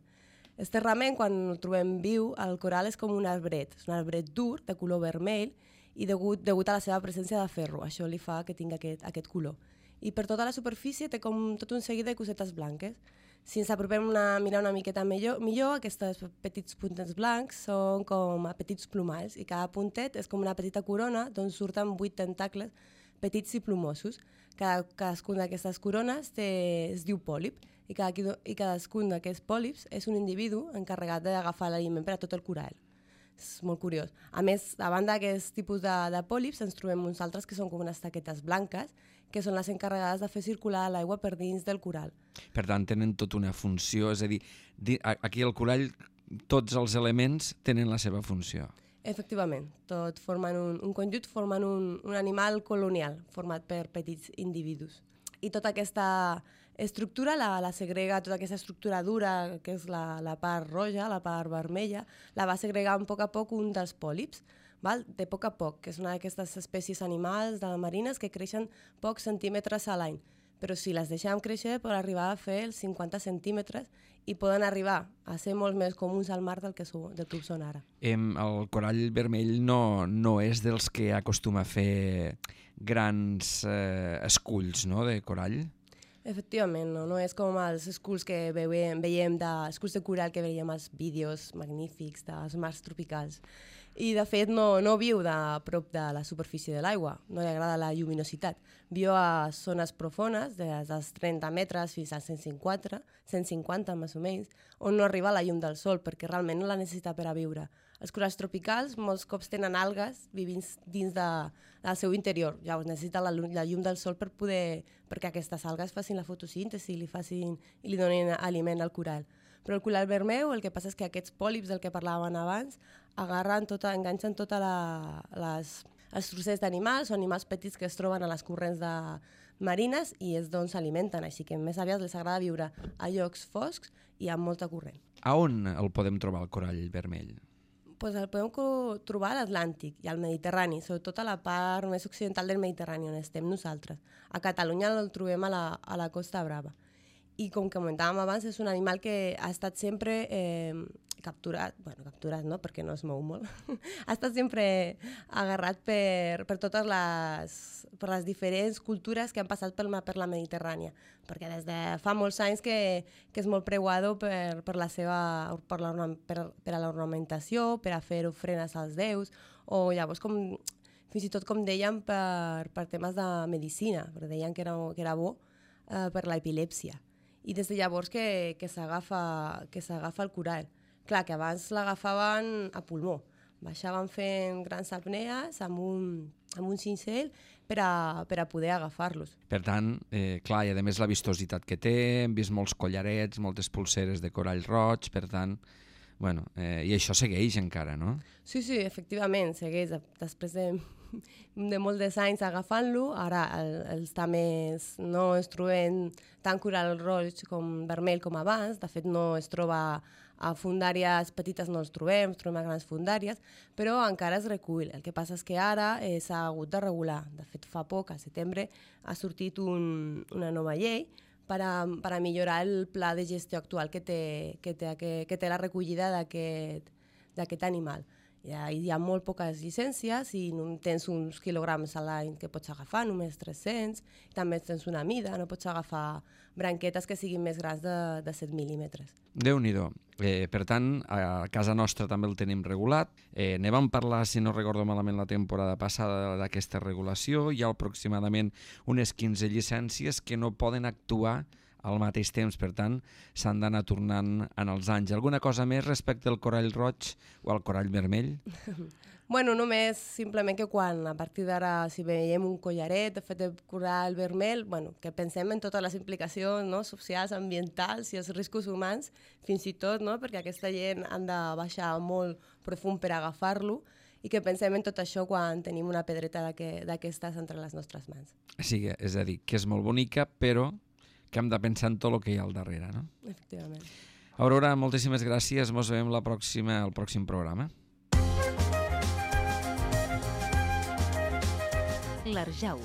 Esterrament, quan el trobem viu, el coral és com un arbret, és un arbret dur, de color vermell, i degut, degut a la seva presència de ferro, això li fa que tingui aquest, aquest color. I per tota la superfície té com tot un seguit de cosetes blanques. Si ens apropem a mirar una miqueta millor, millor, aquests petits puntets blancs són com a petits plomalls, i cada puntet és com una petita corona d'on surten vuit tentacles petits i plomosos. Cada, cadascun d'aquestes corones té, es diu pòlip i, cada, i cadascun d'aquests pòlips és un individu encarregat d'agafar l'aliment per a tot el coral. És molt curiós. A més, a banda d'aquest tipus de, de pòlips, ens trobem uns altres que són com unes taquetes blanques, que són les encarregades de fer circular l'aigua per dins del coral. Per tant, tenen tota una funció, és a dir, aquí al corall tots els elements tenen la seva funció. Efectivament, tot formen un, un conjunt, formen un, un animal colonial format per petits individus. I tota aquesta estructura la, la segrega, tota aquesta estructura dura, que és la, la part roja, la part vermella, la va segregar a poc a poc un dels pòlips, val? De poc a poc, que és una d'aquestes espècies animals de marines que creixen pocs centímetres a l'any. Però si les deixem créixer poden arribar a fer els cinquanta centímetres i poden arribar a ser molt més comuns al mar del que, so, del que ho són ara. Em, el corall vermell no, no és dels que acostuma a fer grans eh, esculls, no?, de corall? Efectivament, no, no és com els esculls que veiem, veiem de, esculls de coral que veiem als vídeos magnífics dels mars tropicals. I, de fet, no, no viu de prop de la superfície de l'aigua, no li agrada la lluminositat. Viu a zones profones, des dels trenta metres fins als cent cinquanta, cent cinquanta més o menys, on no arriba la llum del sol, perquè realment no la necessita per a viure. Els coralls tropicals molts cops tenen algues vivint dins de, del seu interior. Llavors necessita la, la llum del sol per poder, perquè aquestes algues facin la fotosíntesi i li, facin, i li donin aliment al coral. Però el coral vermell, el que passa és que aquests pòlips del que parlàvem abans agarren tota, enganxen totes les, els trossets d'animals o animals petits que es troben a les corrents de marines i és d'on s'alimenten, així que més aviat els agrada viure a llocs foscs i amb molta corrent. A on el podem trobar, el corall vermell? Pues el podem trobar a l'Atlàntic i al Mediterrani, sobretot a la part més occidental del Mediterrani, on estem nosaltres. A Catalunya el trobem a la, a la Costa Brava. I com comentàvem abans, és un animal que ha estat sempre, eh, capturat, bueno, capturat no, perquè no es mou molt, ha estat sempre agarrat per, per totes les, per les diferents cultures que han passat per, per la Mediterrània, perquè des de fa molts anys que, que és molt preuado per, per, la seva, per, la, per, per a l'ornamentació, per a fer ofrenes als déus, o llavors com, fins i tot com deien per, per temes de medicina, perquè deien que era, que era bo eh, per l'epilèpsia. I des de llavors que, que s'agafa que s'agafa el coral. Clar, que abans l'agafaven a pulmó. Baixaven fent grans apnees amb un, amb un cincel per a, per a poder agafar-los. Per tant, eh, clar, i a més la vistositat que té, hem vist molts collarets, moltes pulseres de corall roig, per tant, bueno, eh, i això segueix encara, no? Sí, sí, efectivament, segueix. Després de, de molts anys agafant-lo, ara el, els tames no es troben tant coral roig com vermell com abans, de fet no es troba a fundàries petites, no els trobem, es trobem a grans fundàries, però encara es recull. El que passa és que ara eh, s'ha hagut de regular. De fet, fa poc, al setembre, ha sortit un, una nova llei per a, per a millorar el pla de gestió actual que té, que té, que, que té la recollida d'aquest animal. Hi ha, hi ha molt poques llicències i tens uns quilograms a l'any que pots agafar, només tres-cents, també tens una mida, no pots agafar branquetes que siguin més grans de, de set mil·límetres. Déu-n'hi-do. Eh, per tant, a casa nostra també el tenim regulat. Eh, ne vam parlar, si no recordo malament, la temporada passada d'aquesta regulació. Hi ha aproximadament unes quinze llicències que no poden actuar al mateix temps, per tant, s'han d'anar tornant en els anys. Alguna cosa més respecte al corall roig o al corall vermell? Bueno, només simplement que quan, a partir d'ara, si veiem un collaret de fet de corall vermell, bueno, que pensem en totes les implicacions, no?, socials, ambientals i els riscos humans, fins i tot, no?, perquè aquesta gent han de baixar molt profund per agafar-lo, i que pensem en tot això quan tenim una pedreta d'aquestes entre les nostres mans. Sí, és a dir, que és molt bonica, però que hem de pensar en tot el que hi ha al darrere, no? Efectivament. Aurora, moltíssimes gràcies. Ens veiem la pròxima, al pròxim programa. L'Arjau.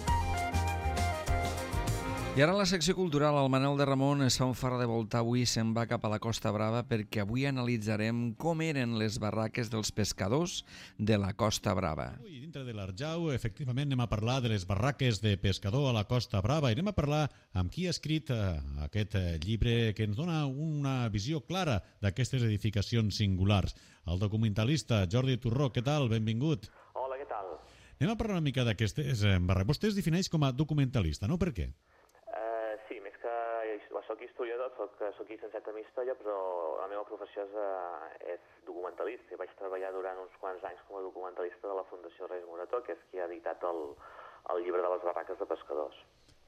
I ara en la secció cultural, el Manel de Ramon es fa un far de volta avui, se'n va cap a la Costa Brava perquè avui analitzarem com eren les barraques dels pescadors de la Costa Brava. Avui, dintre de l'Arjau, efectivament, anem a parlar de les barraques de pescador a la Costa Brava i anem a parlar amb qui ha escrit eh, aquest eh, llibre que ens dona una visió clara d'aquestes edificacions singulars. El documentalista Jordi Turró, què tal? Benvingut. Hola, què tal? Anem a parlar una mica d'aquestes eh, barraques. Vostè es defineix com a documentalista, no? Per què? Soc historiador, soc, soc llicenciat en història, però la meva professió és, uh, és documentalista. I vaig treballar durant uns quants anys com a documentalista de la Fundació Reis Morató, que és qui ha editat el, el llibre de les barraques de pescadors.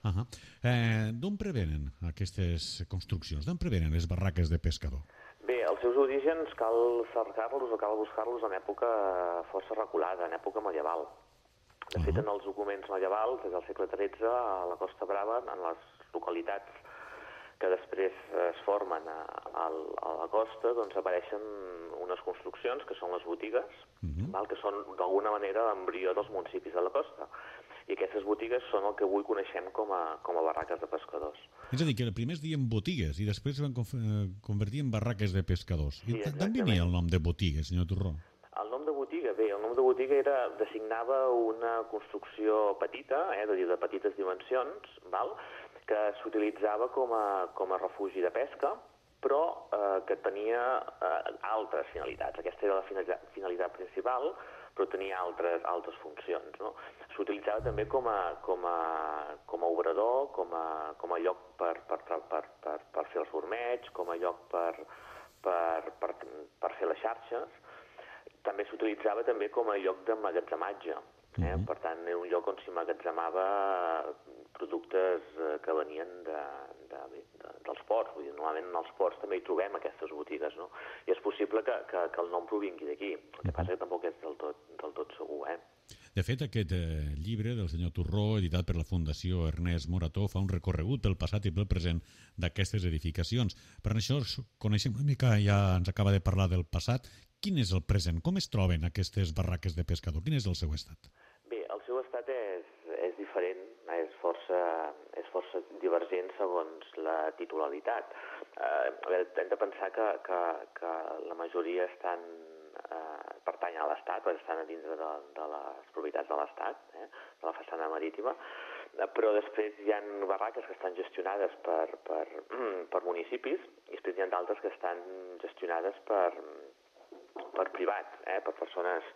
Uh -huh. eh, D'on prevenen aquestes construccions? D'on prevenen les barraques de pescador? Bé, els seus orígens cal cercar-los o cal buscar-los en època força reculada, en època medieval. De fet, uh -huh. en els documents medievals, des del segle tretze, a la Costa Brava, en les localitats que després es formen a, a, a la costa, doncs apareixen unes construccions que són les botigues, uh-huh. val? Que són d'alguna manera l'embrió dels municipis de la costa. I aquestes botigues són el que avui coneixem com a, com a barraques de pescadors. És a dir, que primer es diuen botigues i després es van convertir en barraques de pescadors. Sí, I d'on venia el nom de botigues, senyor Turró? El nom de botiga, bé, el nom de botiga era, designava una construcció petita, eh, de, de petites dimensions, val? Que s'utilitzava com a, com a refugi de pesca, però eh, que tenia eh, altres finalitats. Aquesta era la finalitat, finalitat principal, però tenia altres, altres funcions, no? S'utilitzava també com a, com a, com a obrador, com a, com a lloc per, per, per, per, per, per fer els ormeigs, com a lloc per, per, per, per fer les xarxes. També s'utilitzava també com a lloc d'emmagatzematge. Eh? Uh-huh. Per tant, era un lloc on s'hi emmagatzemava productes que venien de, de, de, dels ports. Vull dir, normalment en els ports també hi trobem aquestes botigues, no? I és possible que, que, que el nom provingui d'aquí. El que passa que tampoc és del tot, del tot segur, eh? De fet, aquest eh, llibre del senyor Turró, editat per la Fundació Ernest Morató, fa un recorregut pel passat i pel present d'aquestes edificacions. Per això coneixem una mica, ja ens acaba de parlar del passat. Quin és el present? Com es troben aquestes barraques de pescador? Quin és el seu estat? Bé, el seu estat és, és diferent, és força, és força divergents segons la titularitat. Eh, a veure, hem de pensar que, que, que la majoria estan eh, pertanyen a l'Estat, perquè estan a dintre de, de les propietats de l'Estat, eh, de la façana marítima, però després hi ha barraques que estan gestionades per, per, per municipis i després hi ha d'altres que estan gestionades per, per privats, eh, per persones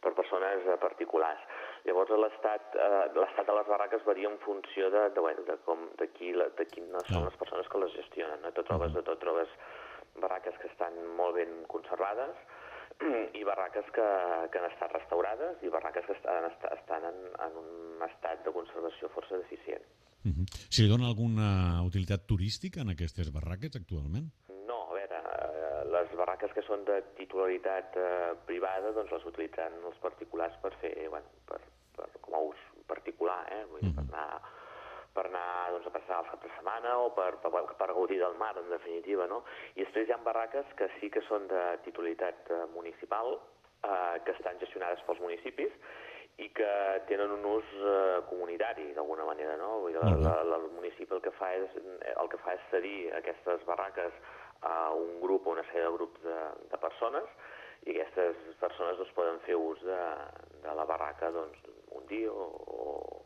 per persones particulars. Llavors l'estat eh, l'estat de les barraques varia en funció de, de, bueno, de, com, de, qui, de quines són les persones que les gestionen. No? Tot trobes, de tot trobes barraques que estan molt ben conservades i barraques que, que han estat restaurades i barraques que estan, estan en, en un estat de conservació força deficient. Uh -huh. Si li dona alguna utilitat turística en aquestes barraques actualment? No, a veure, eh, les barraques que són de titularitat eh, privada doncs les utilitzen els particulars per fer, bueno, per, per, com a ús particular, eh? Vull dir, uh -huh. per anar per anar doncs, a passar els caps de setmana o per, per, per gaudir del mar, en definitiva, no? I després hi ha barraques que sí que són de titularitat eh, municipal, eh, que estan gestionades pels municipis i que tenen un ús eh, comunitari, d'alguna manera, no? Vull dir, la, la, la, el municipi el que fa és, el que fa és cedir aquestes barraques a un grup o una sèrie de grups de, de persones i aquestes persones doncs, poden fer ús de, de la barraca doncs, un dia o,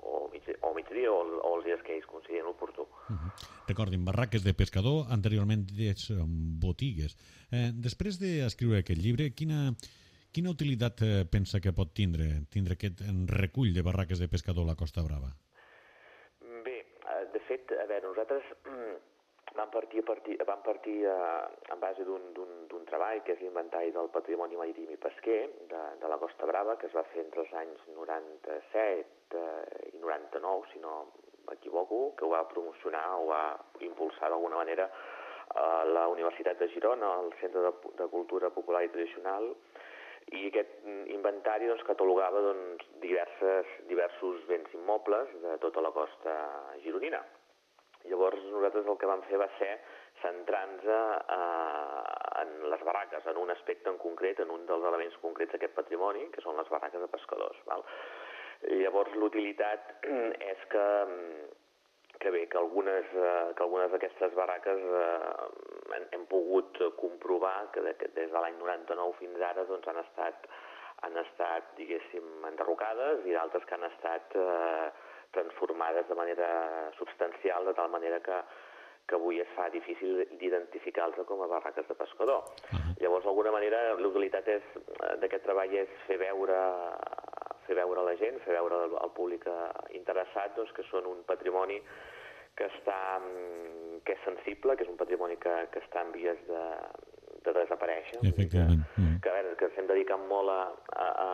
o, mig, o migdia o, o els dies que ells considerin oportú. Uh -huh. Recordin, barraques de pescador, anteriorment des botigues. Eh, després d'escriure aquest llibre, quina, quina utilitat eh, pensa que pot tindre tindre aquest recull de barraques de pescador a la Costa Brava? Bé, de fet, a veure, nosaltres vam partir, partir, vam partir eh, en base d'un treball que és l'inventari del patrimoni marítim i pesquer de, de la Costa Brava, que es va fer entre els anys noranta-set eh, i noranta-nou, si no m'equivoco, que ho va promocionar o va impulsar d'alguna manera eh, la Universitat de Girona, el Centre de, de Cultura Popular i Tradicional, i aquest inventari doncs, catalogava doncs, diverses, diversos béns immobles de tota la costa gironina. Llavors nosaltres el que vam fer va ser centrar-nos eh, en les barraques, en un aspecte en concret, en un dels elements concrets d'aquest patrimoni, que són les barraques de pescadors. Val? Llavors l'utilitat és que, que bé, que algunes, eh, que algunes d'aquestes barraques eh, hem, hem pogut comprovar que, de, que des de l'any noranta-nou fins ara doncs, han estat, han estat, diguéssim, enderrocades i d'altres que han estat eh, transformades de manera substancial, de tal manera que, que avui es fa difícil d'identificar-los com a barraques de pescador. Uh-huh. Llavors, d'alguna manera, l'utilitat d'aquest treball és fer veure, fer veure a la gent, fer veure al, al públic interessat doncs, que són un patrimoni que, està, que és sensible, que és un patrimoni que, que està en vies de, de desaparèixer. Efectivament. Que, que, a veure, que estem dedicant molt a, a, a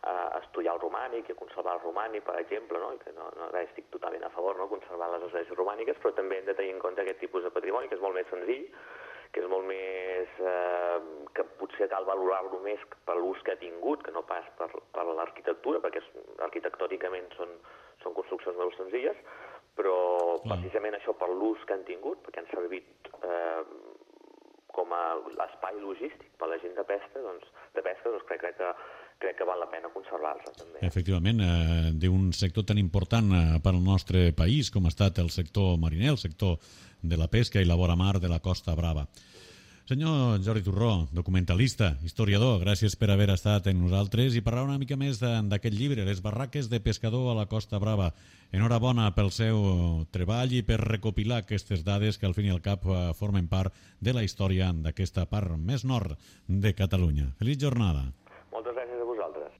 a estudiar el romànic i a conservar el romànic, per exemple, no? I que no, no estic totalment a favor, no?, conservar les esglésies romàniques, però també hem de tenir en compte aquest tipus de patrimoni, que és molt més senzill, que és molt més... Eh, que potser cal valorar-lo més per l'ús que ha tingut, que no pas per, per l'arquitectura, perquè és, arquitectònicament són, són construccions molt senzilles, però mm. precisament això per l'ús que han tingut, perquè han servit eh, com a espai logístic per la gent de pesca, doncs, de pesca, doncs crec, crec que crec que val la pena conservar-la, també. Efectivament, eh, d'un sector tan important eh, per al nostre país com ha estat el sector mariner, el sector de la pesca i la vora mar de la Costa Brava. Senyor Jordi Turró, documentalista, historiador, gràcies per haver estat amb nosaltres i parlar una mica més d'aquest llibre, Les barraques de pescador a la Costa Brava. Enhorabona pel seu treball i per recopilar aquestes dades que al fin i al cap formen part de la història d'aquesta part més nord de Catalunya. Feliç jornada. Moltes gràcies a vosaltres.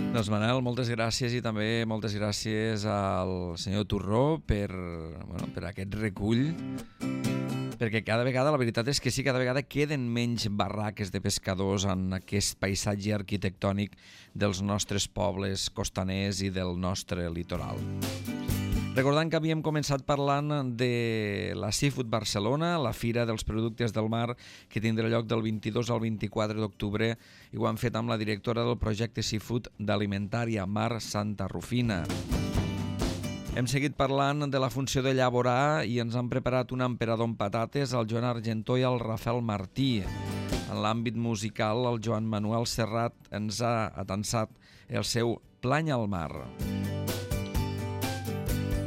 Doncs Manel, moltes gràcies i també moltes gràcies al senyor Turró per, bueno, per aquest recull, perquè cada vegada, la veritat és que sí, cada vegada queden menys barraques de pescadors en aquest paisatge arquitectònic dels nostres pobles costaners i del nostre litoral. Recordant que havíem començat parlant de la Seafood Barcelona, la Fira dels Productes del Mar, que tindrà lloc del vint-i-dos al vint-i-quatre d'octubre, i ho hem fet amb la directora del projecte Seafood d'Alimentària, Mar Santa Rufina. Hem seguit parlant de la funció de llaborar i ens han preparat un emperador amb patates al Joan Argentó i al Rafael Martí. En l'àmbit musical, el Joan Manuel Serrat ens ha atansat el seu Plany al mar.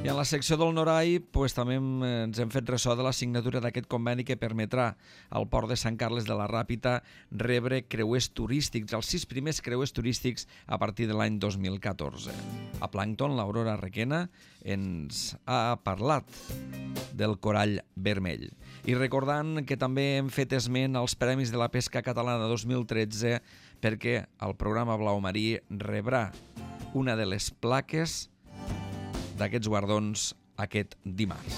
I en la secció del Norai pues, també ens hem fet ressò de la signatura d'aquest conveni que permetrà al port de Sant Carles de la Ràpita rebre creuers turístics, els sis primers creuers turístics a partir de l'any dos mil catorze. A Plàncton, l'Aurora Requena ens ha parlat del corall vermell. I recordant que també hem fet esment als Premis de la Pesca Catalana dos mil tretze perquè el programa Blau Marí rebrà una de les plaques d'aquests guardons aquest dimarts.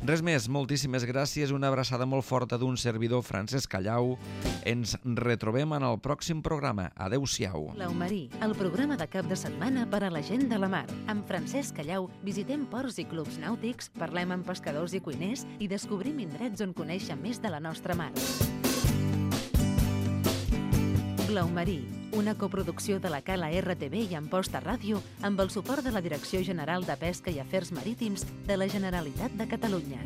Res més, moltíssimes gràcies, una abraçada molt forta d'un servidor, Francesc Callau. Ens retrobem en el pròxim programa. Adéu-siau. Blau Marí, el programa de cap de setmana per a la gent de la mar. Amb Francesc Callau visitem ports i clubs nàutics, parlem amb pescadors i cuiners i descobrim indrets on conèixer més de la nostra mar. Blau Marí, una coproducció de la Cala R T V i Amposta Ràdio amb el suport de la Direcció General de Pesca i Afers Marítims de la Generalitat de Catalunya.